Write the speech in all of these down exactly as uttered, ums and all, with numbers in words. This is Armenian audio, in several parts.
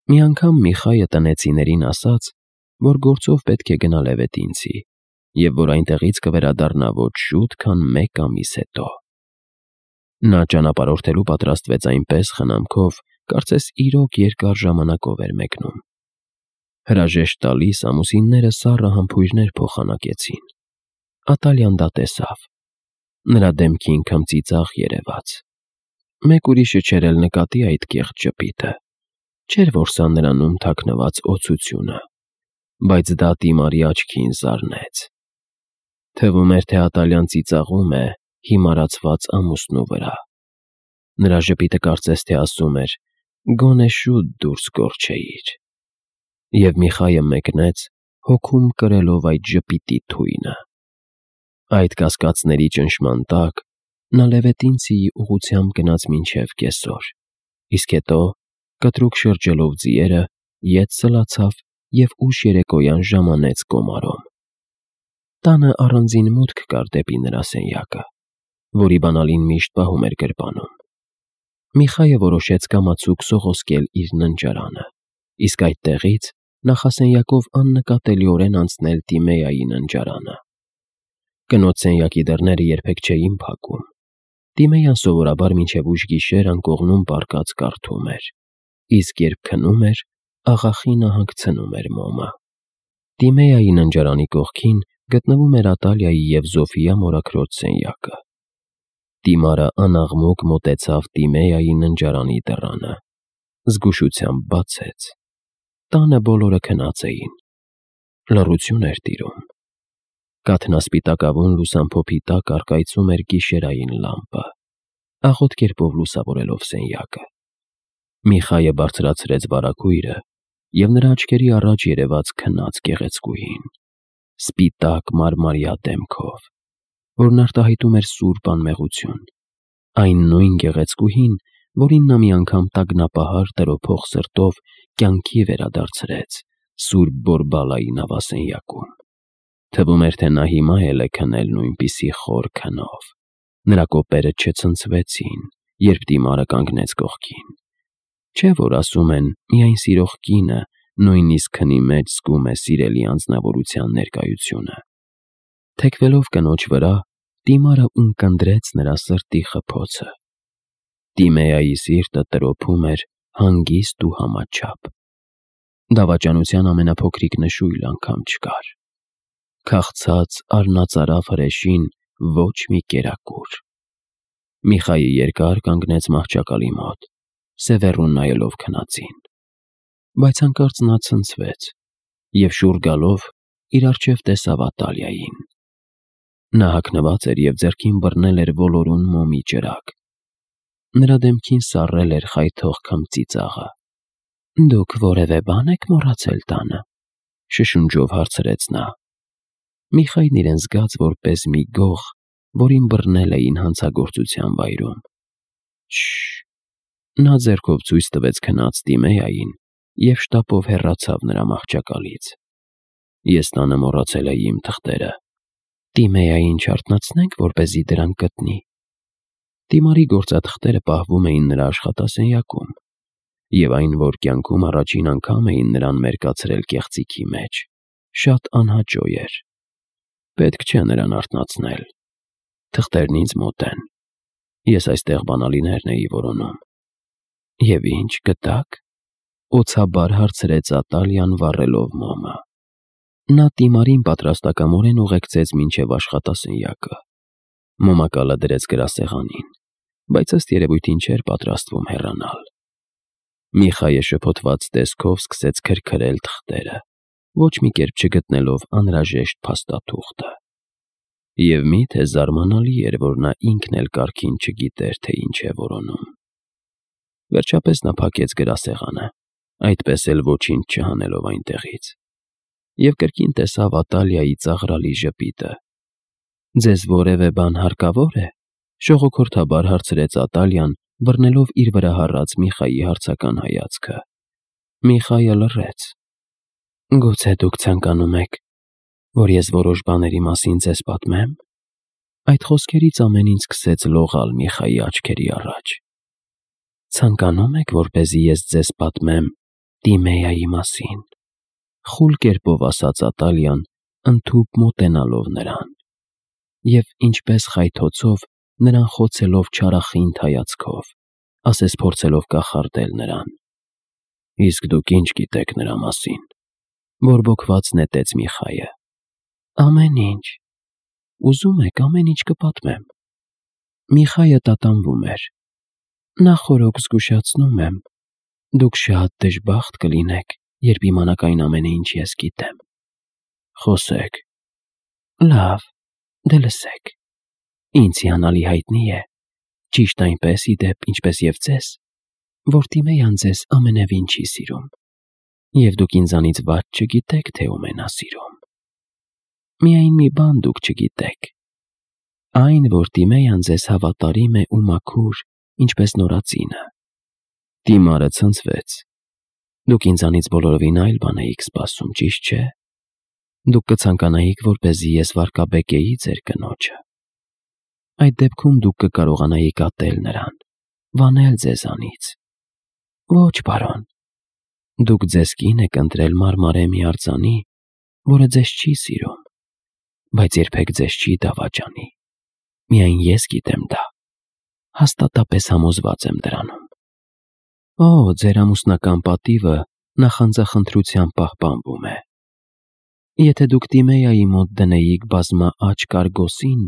Մի անգամ Միխայը տնեցիներին ասաց, որ գործով պետք է գնա Լևետինցի և որ այնտեղից կվերադառնա ոչ շուտ, քան մեկ ամիս հետո։ Նա ճանապարհորդելու պատրաստվեց այնպես խնամքով, կարծես իրոք երկար ժամանակով էր մեկնում։ Հրաժեշտ տալիս ամուսինները սառը համբույրներ փոխանակեցին։ Ատալյան դա տեսավ։ Նրա դեմքին քմծիծաղ երևաց։ Մեկ ուրիշը չէր էլ նկատի այդ կեղծ ժպիտը։ Չէր, որ սա նրանում թաքնված օցությունը, բայց դա Տիմարի աչքին զարնեց։ Թվում էր, թե Ատալյան ծիծաղում է հիմարացված ամուսնու վրա։ Նրա ժպիտը կարծես թե ասում էր. «Գոնե շուտ դուրս կորչեիր»։ Եվ Միխայը մեկնեց, հոգում կրելով այդ ժպիտի թույնը։ Այդ կասկածների ճնշման տակ նա Լևետինցիի ուղղությամբ գնաց մինչև կեսօր, իսկ հետո, կտրուկ շրջելով ձիերը, ետ սլացավ և ուշ երեկոյան ժամանեց Կոմարոմ։ Տանը առանձին մուտք կար դեպի նրա սենյակը, որի բանալին միշտ պահում էր գրպանում։ Միխայը որոշեց կամացուկ սողոսկել իր ննջարանը, իսկ այդտեղից նախասենյակով աննկատելիորեն անցնել Տիմեայի ննջարանը։ Կնոջ սենյակի դռները երբեք չէին փակում։ Տիմեյան սովորաբար մինչև ուշ գիշեր անկողնում պառկած կարդում էր, իսկ երբ քնում էր, աղախինը հանգցնում էր մոմը։ Տիմեայի ննջարանի կողքին գտնվում էր Ատալիայի և Զոֆիա մորաքրոջ սենյակը։ Տիմարը անաղմուկ մոտեցավ Տիմեայի ննջարանի դռանը, զգուշությամբ բացեց։ Տանը բոլորը քնած էին։ Լռություն էր տիրում։ Կաթնասպիտակավուն լուսամփոփի տակ առկայծում էր գիշերային լամպը, աղոտ կերպով լուսավորելով սենյակը։ Միխայը բարձրացրեց վարագույրը, և նրա աչքերի առաջ երևաց քնած գեղեցկուհին, սպիտակ մարմարյա դեմքով, որն արտահայտում էր սուրբ անմեղություն, այն նույն գեղեցկուհին, որին նա մի անգամ տագնապահար տրոփող սրտով կյանքի վերադարձրեց սուրբ Բորբալայի նավասենյակում։ Թվում էր, թե նա հիմա էլ է քնել նույնպիսի խոր քնով։ Նրա կոպերը չցնցվեցին, երբ Տիմարը կանգնեց կողքին։ Չէ՞ որ ասում են, միայն սիրող կինը նույնիսկ քնի մեջ զգում է սիրելի անձնավորության ներկայությունը։ Թեքվելով կնոջ վրա, Տիմարը ունկնդրեց նրա սրտի խփոցը։ Տիմեայի սիրտը տրոփում էր հանգիստ ու համաչափ։ Դավաճանության ամենափոքրիկ նշույլ անգամ չկար։ Քաղցած առնածարավ հրեշին ոչ մի կերակուր։ Միխայը երկար կանգնեց մահճակալի մոտ, սևեռուն նայելով քնածին։ Բայց հանկարծ նա ցնցվեց և շուռ գալով իր առջև տեսավ Ատալիային։ Նա հագնված էր և ձեռքին բռնել էր ոլորուն մոմի ճրագ։ Նրա դեմքին սառել էր խայթող քմծիծաղը։ «Դուք որևէ բան եք մոռացել տանը», շշունջով հարցրեց նա։ Միխայն իրեն զգաց որպես մի գող, որին բռնել էին հանցագործության վայրում։ Շ… Նա ձեռքով ցույց տվեց քնած Տիմեային և շտապով հեռացավ նրա մահճակալից։ Ես տանը մոռացել էի իմ թղթերը։ Տիմեային չարթնացնե՞նք, որպեսզի դրանք գտնի։ Տիմարի գործաթղթերը պահվում էին նրա աշխատասենյակում, և այն, որ կյանքում առաջին անգամ էին նրան մերկացրել կեղծիքի մեջ, շատ անհաճո էր։ Պետք չէ նրան արթնացնել։ Թղթերն ինձ մոտ են։ Ես այստեղ բանալիներն էի որոնում։ Եվ ի՞նչ գտաք, օձաբար հարցրեց Ատալյան վառելով մոմը։ Նա Տիմարին պատրաստակամորեն ուղեկցեց մինչև աշխատասենյակը։ Մոմակալը դրեց գրասեղանին, բայց ըստ երևույթին չէր պատրաստվում հեռանալ։ Միխայը շփոթված տեսքով սկսեց քրքրել թղթերը, ոչ մի կերպ չգտնելով անհրաժեշտ փաստաթուղթը։ Եվ մի՞թե զարմանալի էր, որ նա ինքն էլ կարգին չգիտեր, թե ինչ է որոնում։ Վերջապես նա փակեց գրասեղանը, այդպես էլ ոչինչ չհանելով այնտեղից, և կրկին տեսավ Ատալիայի ծաղրալի ժպիտը։ «Ձեզ որևէ բան հարկավո՞ր է», շողոքորթաբար հարցրեց Ատալյան, բռնելով իր վրա հառած Միխայի հարցական հայացքը։ Միխայը լռեց։ «Գուցե դուք ցանկանում եք, որ ես որոշ բաների մասին ձեզ պատմե՞մ»։ Այդ խոսքերից ամեն ինչ սկսեց լողալ Միխայի աչքերի առաջ։ «Ցանկանում եք, որպեսզի ես ձեզ պատմեմ Տիմեայի մասին, խուլ կերպով ասաց Ատալիան, ընդհուպ մոտենալով նրան, և ինչպես խայթոցով նրան խոցելով չարախինդ հայացքով, ասես փորձելով կախարդել նրան. «Իսկ դուք ի՞նչ գիտեք նրա մասին», բորբոքված նետեց Միխայը։ «Ամեն ինչ, ուզում եք ամեն ինչ կպատմեմ»։ Միխայը տատանվում էր։ «Նախօրոք զգուշացնում եմ, դուք շատ դժբախտ կլինեք, երբ իմանաք այն ամենը, ինչ ես գիտեմ»։ «Խոսեք»։ «Լավ, դե լսեք։ Ինձ հիանալի հայտնի է, ճիշտ այնպես ի դեպ, ինչպես և ձեզ, որ Տիմեյան ձեզ ամենևին չի սիրում, և դուք ինձանից վատ չգիտեք, թե ում է նա սիրում։ Միայն մի բան դուք չգիտեք. այն, որ Տիմեյան ձեզ հավատարիմ է ու մաքուր, ինչպես նորածինը»։ Տիմարը ցնցվեց։ «Դուք ինձանից բոլորովին այլ բան էիք սպասում, ճիշտ չէ։ Դուք կցանկանայիք, որպեսզի ես վարկաբեկեի ձեր կնոջը։ Այդ դեպքում դուք կկարողանայիք ատել նրան, վանել ձեզանից։ Ոչ, պարոն, դուք ձեզ կին եք ընտրել մարմարե մի արձանի, որը ձեզ չի սիրում, բայց երբեք ձեզ չի դավաճանի։ Միայն ես գիտեմ դա, հաստատապես համոզված եմ դրանում։ Օ, ձեր ամուսնական պատիվը նախանձախնդրությամբ պահպանվում է։ Եթե դուք Տիմեայի մոտ դնեիք բազմա աջ կարգոսին,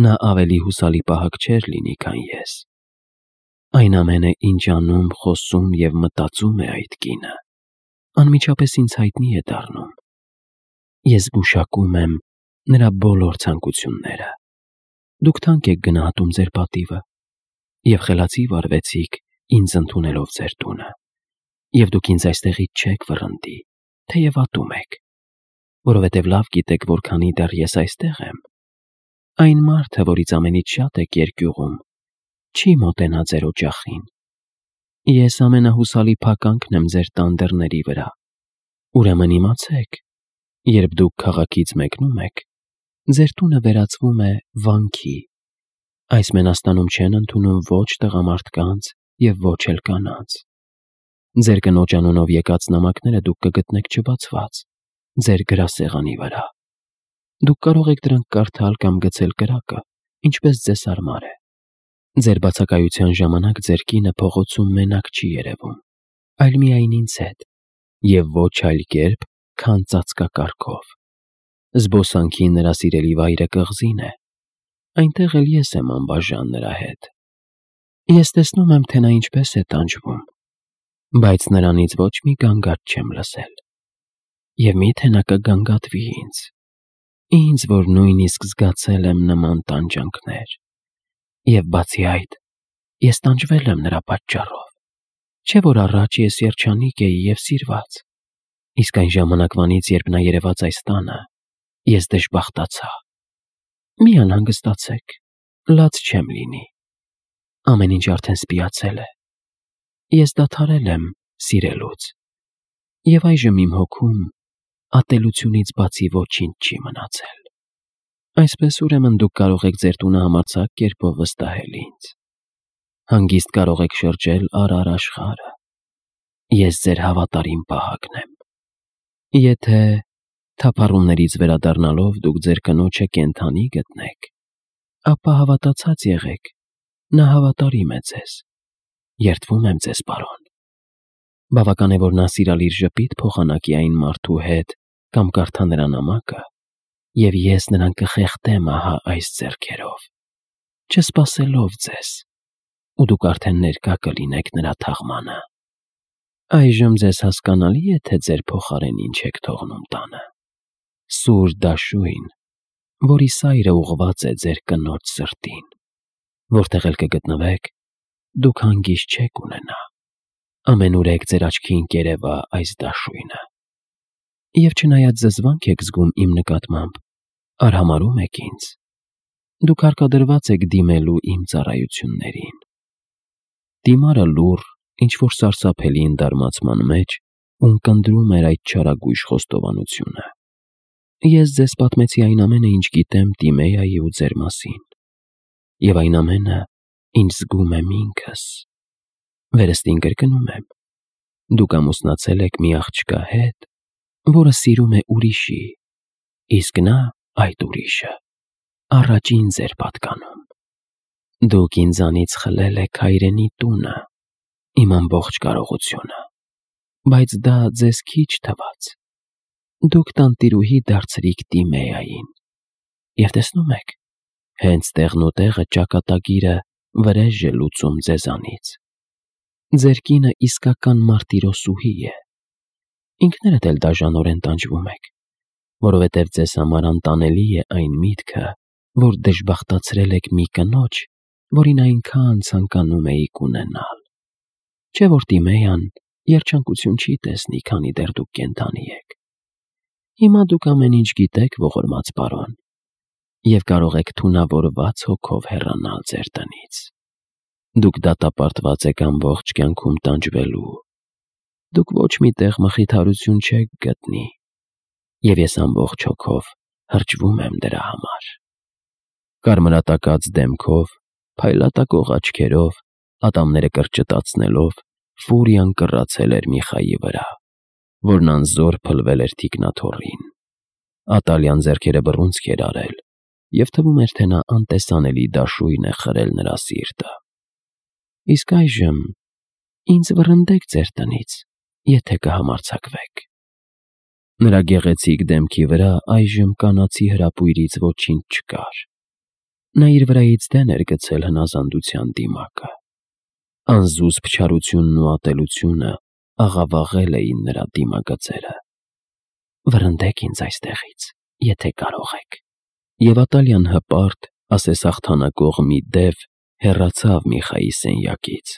նա ավելի հուսալի պահակ չէր լինի, քան ես։ Այն ամենը, ինչ անում, խոսում և մտածում է այդ կինը, անմիջապես ինձ հայտնի է դառնում։ Ես գուշակում եմ նրա բոլոր ցանկությունները։ Դուք թանկ եք գնահատում ձեր պատիվը և խելացի վարվեցիք ինձ ընդունելով ձեր տունը, և դուք ինձ այստեղից չեք վռնդի, թեև ատում եք, որովհետև լավ գիտեք, որքանի դեռ ես այստեղ եմ։ Այն մարդը, որից ամենից շատ եք երկյուղում, չի մոտենա ձեր օջախին։ Ես ամենահուսալի փականքն եմ ձեր տան դռների վրա։ Ուրեմն իմացեք, երբ դուք քաղաքից մեկնում եք, ձեր տունը վերածվում է վանքի։ Այս մենաստանում չեն ընդունում ոչ տղամարդկանց և ոչ էլ կանանց։ Ձեր կնոջ անունով եկած նամակները դուք կգտնեք չբացված ձեր գրասեղանի վրա։ Դուք կարող եք դրանք կարդալ կամ գցել կրակը, ինչպես ձեզ հարմար է։ Ձեր բացակայության ժամանակ ձեր կինը փողոցում մենակ չի երևում, այլ միայն ինձ հետ, և ոչ այլ կերպ, քան ծածկակարգով։ Զբոսանքի նրա սիրելի վայրը կղզին է, այնտեղ էլ ես եմ անբաժան նրա հետ։ Ես տեսնում եմ, թե նա ինչպես է տանջվում, բայց նրանից ոչ մի գանգատ չեմ լսել։ Եվ մի՞թե նա կգանգատվի ինձ, ինձ, որ նույնիսկ զգացել եմ նման տանջանքներ։ Եվ բացի այդ, ես տանջվել եմ նրա պատճառով, չէ՞ որ առաջ ես երջանիկ էի և սիրված, իսկ այն ժամանակվանից, երբ նա երևաց այս տանը, ես դժբախտացա։ Մի անհանգստացեք, լաց չեմ լինի։ Ամեն ինչ արդեն սպիացել է։ Ես դադարել եմ սիրելուց, և այժմ իմ հոգում ատելությունից բացի ոչինչ չի մնացել։ Այսպես ուրեմն դուք կարող եք ձեր տունը համարձակ կերպով վստահել ինձ։ Հանգիստ կարող եք շրջել առար աշխարհը։ Ես ձեր հավատարիմ պահակն եմ։ Եթե թափառումներից վերադառնալով դուք ձեր կնոջը կենդանի գտնեք, ապա հավատացած եղեք, նա հավատարիմ է ձեզ։ Երդվում եմ ձեզ, պարոն։ Բավական է, որ նա սիրալիր ժպիտ փոխանակի այն մարդու հետ կամ կարդա նրա նամակը, և ես նրան կխեղդեմ ահա այս ձեռքերով, չսպասելով ձեզ, ու դուք արդեն ներկա կլինեք նրա թաղմանը։ Այժմ ձեզ հասկանալի է, թե ձեր փոխարեն ինչ եք թողնում տանը։ Սուր դաշույն, որի սայրը ուղղված է ձեր կնոջ սրտին։ Որտեղ էլ կգտնվեք, դուք հանգիստ չեք ունենա։ Ամենուրեք ձեր աչքին կերևա այս դաշույնը։ Եվ չնայած զզվանք եք զգում իմ նկատմամբ, արհամարհում եք ինձ, դուք հարկադրված եք դիմելու իմ ծառայություններին։ Տիմարը լուռ, ինչ-որ սարսափելի ընդարմացման մեջ ունկնդրում էր այդ չարագույժ խոստովանությունը։ Ես ձեզ պատմեցի այն ամենը, ինչ գիտեմ Տիմեայի ու ձեր մասին, և այն ամենը, ինչ զգում եմ ինքս։ Վերստին կրկնում եմ, Դուք ամուսնացել եք մի աղջկա հետ, որը սիրում է ուրիշի, իսկ նա այդ ուրիշը առաջին ձեր պատկանում։ Դուք ինձանից խլել եք հայրենի տունը, իմ ամբողջ կարողությունը, բայց դա ձեզ քիչ թվաց։ Դուք տանտիրուհի դարձրիք Տիմեային, և տեսնում եք, հենց տեղն ու տեղը ճակատագիրը վրեժ է լուծում ձեզանից։ Ձեր կինը իսկական մարտիրոսուհի է։ Ինքներդ էլ դաժանորեն տանջվում եք, որովհետև ձեզ համար անտանելի է այն միտքը, որ դժբախտացրել եք մի կնոջ, որին այնքան ցանկանում էիք ունենալ։ Չէ՞ որ Տիմեյան երջանկություն չի տեսնի, քանի դեռ դուք կենդանի եք։ Հիմա դուք ամեն ինչ գիտեք, ողորմած պարոն, և կարող եք թունավորված հոգով հեռանալ ձեր տնից։ Դուք դատապարտված եք ամբողջ կյանքում տանջվելու։ Դուք ոչ մի տեղ մխիթարություն չեք գտնի, և ես ամբողջ հոգով հրճվում եմ դրա համար։ Կարմրատակած դեմքով, փայլատակող աչքերով, ատամները կրճտացնելով, Ֆուրիան կռացել էր Միխայի վրա, որն անզոր փլվել էր թիկնաթոռին։ Ատալյան ձեռքերը բռունցք էր արել, և թվում էր, թե նա անտեսանելի դաշույն է խրել նրա սիրտը։ Իսկ այժմ ինձ վռնդեք ձեր տնից, եթե կհամարձակվեք։ Նրա գեղեցիկ դեմքի վրա այժմ կանացի հրապույրից ոչինչ չկար։ Նա իր վրայից դեն էր գցել հնազանդության դիմակը։ Անզուսպ չարությունն ու ատելությունը աղավաղել էին նրա դիմագծերը։ Վռնդեք ինձ այստեղից, եթե կարող եք։ Եվ Ատալյան հպարտ, ասես հաղթանակող մի դև հեռացավ Միխայի սենյակից,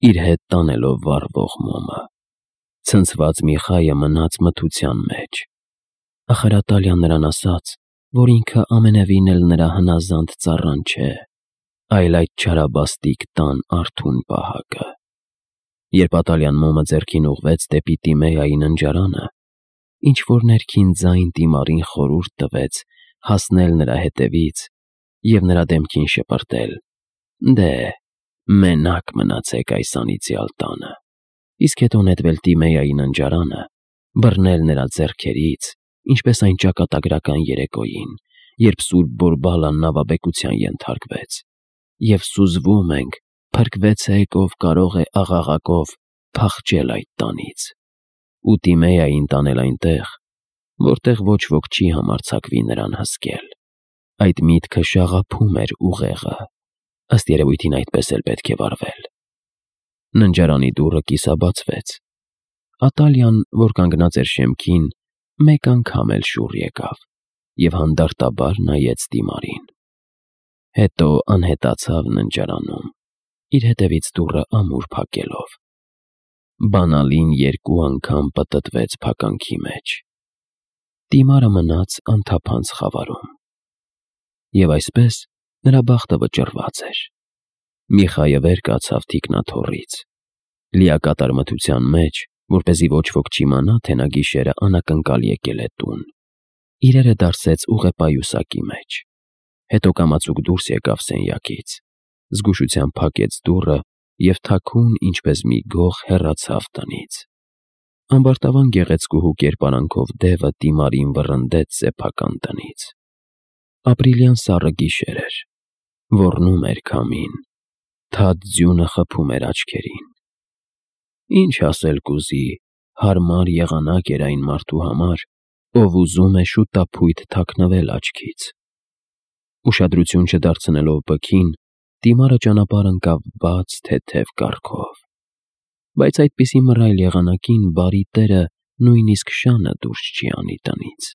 իր հետ տանելով վառվող մոմը։ Ցնցված Միխայը մնաց մթության մեջ։ Ախր Ատալյան նրան ասաց, որ ինքը ամենևին էլ նրա հնազանդ ծառան չէ, այլ այդ չարաբաստիկ տան արթուն պահակը։ Երբ Ատալյան մոմը ձեռքին ուղղվեց դեպի Տիմեայի ննջարանը, ինչ-որ ներքին ձայն Տիմարին խորհուրդ տվեց հասնել նրա հետևից և նրա դեմքին շպրտել. «Դե, մենակ մնացեք այս անիծյալ տանը», իսկ հետո նետվել Տիմեայի ննջարանը, բռնել նրա ձեռքերից, ինչպես այն ճակատագրական երեկոյին, երբ Սուրբ Բորբալան նավաբեկության ենթարկվեց, և սուզվում ենք, փրկվեցեք, ով կարող է աղաղակով փախչել այդ տանից, ու Տիմեային տանել այնտեղ, որտեղ ոչ ոք չի համարձակվի նրան հսկել։ Այդ միտքը շաղափում էր ուղեղը, ըստ երևույթին այդպես էլ պետք է վարվել։ Ննջարանի դուռը կիսաբացվեց։ Ատալյան, որ կանգնած էր շեմքին, մեկ անգամ էլ շուռ եկավ և հանդարտաբար նայեց Տիմարին։ Հետո անհետացավ ննջարանում, իր հետևից դուռը ամուր փակելով։ Բանալին երկու անգամ պտտվեց փականքի մեջ։ Տիմարը մնաց անթափանց խավարում։ Եվ այսպես նրա բախտը վճռված էր։ Միխայը վեր կացավ թիկնաթոռից, լիակատար մթության մեջ, որպեսզի ոչ ոք չիմանա, թե նա գիշերը անակնկալ եկել է տուն։ Իրերը դարսեց ուղեպայուսակի մեջ։ Հետո կամացուկ դուրս եկավ սենյակից, զգուշությամբ փակեց դուռը և թաքուն, ինչպես մի գող, հեռացավ տնից։ Ամբարտավան գեղեցկուհու կերպարանքով դևը Տիմարին վռնդեց սեփական տնից։ Ապրիլյան սառը գիշեր էր։ Ոռնում էր քամին, թաց ձյունը խփում էր աչքերին։ Ինչ ասել կուզի, հարմար եղանակ էր այն մարդու համար, ով ուզում է շուտափույթ թաքնվել աչքից։ Ուշադրություն չդարձնելով բքին, Տիմարը ճանապարհ ընկավ բաց, թեթև կառքով։ Բայց այդպիսի մռայլ եղանակին բարի տերը նույնիսկ շանը դուրս չի անի տնից։